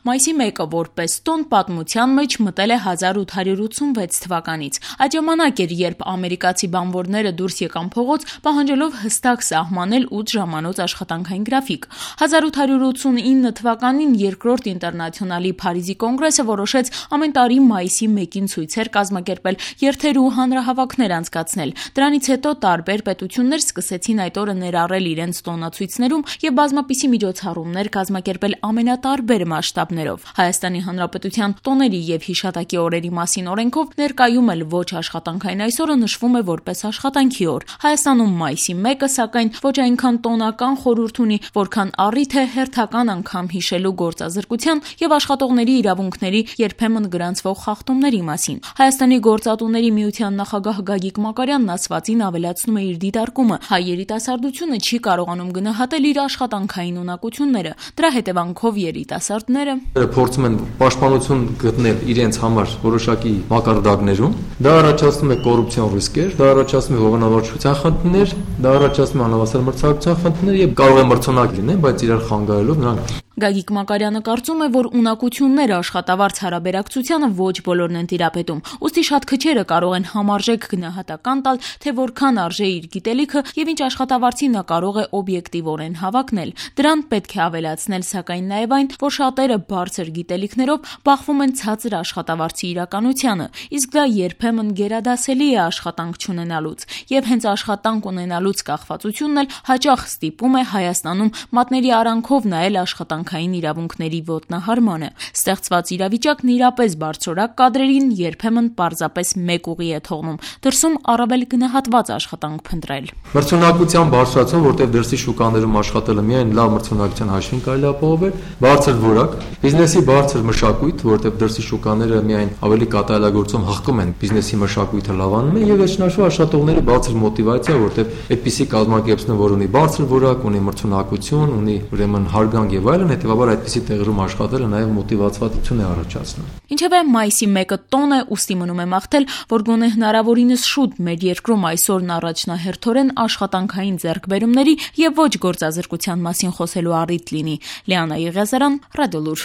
Մայիսի 1-ը որպես տոն պատմության մեջ մտել է 1886 թվականից։ Այդ ժամանակ էր, երբ ամերիկացի բանվորները դուրս եկան փողոց, պահանջելով հստակ սահմանել 8 ժամանոց աշխատանքային գրաֆիկ։ 1889 թվականին Երկրորդ ինտերնացիոնալի Փարիզի կոնգրեսը որոշեց ամեն տարի մայիսի 1-ին ցույցեր կազմակերպել, երթեր ու հանրահավաքներ անցկացնել։ Դրանից հետո տարբեր պետություններ սկսեցին այդ օրը ներառել իրենց տոնացույցներում եւ բազմապիսի միջոցառումներ կազմակերպել ամենատարբեր մասշտաբներով։ Հայաստանի Հանրապետության տոների եւ հիշատակի օրերի մասին օրենքով ներկայում էլ ոչ աշխատանքային այսօրը նշվում է որպես աշխատանքի օր։ Հայաստանում մայիսի 1-ը, սակայն, ոչ այնքան տոնական խորհուրդ ունի, որքան առիթ է հերթական անգամ հիշելու գործազրկության եւ աշխատողների իրավունքների երբեմն գրանցվող խախտումների մասին։ Հայաստանի գործատուների միության նախագահ Գագիկ Մակարյանն ասվածին ավելացնում է իր դիտարկումը. հայ երիտասարդությունը չի կարողանում գնահատել իր աշխատանքային ունակությունները։ Դրա հետևանքով երիտասարդները փորձում են պաշտպանություն գտնել իրենց համար որոշակի մակարդակներում։ Դա առաջացնում է կոռուպցիոն ռիսկեր, դա առաջացնում է հողանավարչության խնդիրներ, դա առաջացնում է անհավասար մրցակցության խնդիրներ եւ կարող է մրցունակ լինեն, բայց իրար խանգարելով նրանք։ Գագիկ Մակարյանը կարծում է, որ ունակությունները աշխատավարձ հարաբերակցությանը ոչ բոլորն են տիրապետում, ուստի շատ քչերը կարող են համարժեք գնահատական տալ, թե որքան արժե իր գիտելիքը եւ ինչ աշխատավարձի նա կարող է օբյեկտիվորեն հավակնել։ Դրան պետք է ավելացնել սակայն նաեւ այն, որ շատերը բարձր գիտելիքներով բախվում են ցածր աշխատավարձի իրականությանը, իսկ դա երբեմն գերադասելի է աշխատանք չունենալուց, եւ հենց աշխատանք ունենալուց կախվածությունն էլ հաճախ ստիպում է Հայաստանում մատների արանքով նայել աշխատանքային իրավունքների ոտնահարմանը։ Ստեղծված իրավիճակն իրապես բարձրորակ կադրերին երբեմն պարզապես մեկ ուղի է թողնում՝ դրսում առավել գնահատված աշխատանք փնտրել։ Մրցունակության բարձրացում, որտեղ դրսի շուկաներում աշխատելը միայն լավ մրցունակության հաշվին կարելի է ապահովել, բարձր որակ, բիզնեսի բարձր մշակույթ, որտեղ դրսի շուկաները միայն ավելի կատարելագործում հղկում են բիզնեսի մշակույթը լավանում են, եւ վերջնաշու աշխատողների բարձր մոտիվացիա, որտեղ այդպիսի կազմակերպություն, որ ունի բարձր որակ, ունի մրցունակություն, ունի ուրեմն հարգանք եւ այլն, հետեւաբար այդպիսի տեղերում աշխատելը նաեւ մոտիվացվածություն է առաջացնում։ Ինչևէ, մայիսի 1-ը տոն է, ուստի մնում է մաղթել, որ գոնե հնարավորինս շուտ մեր երկրում այսօրն առաջնահերթորեն աշխատանքային ձեռքբերումների եւ ոչ գործազրկության մասին խոսելու առիթ լինի։ Լիանա Եղիազարյան, Ռադիոլուր։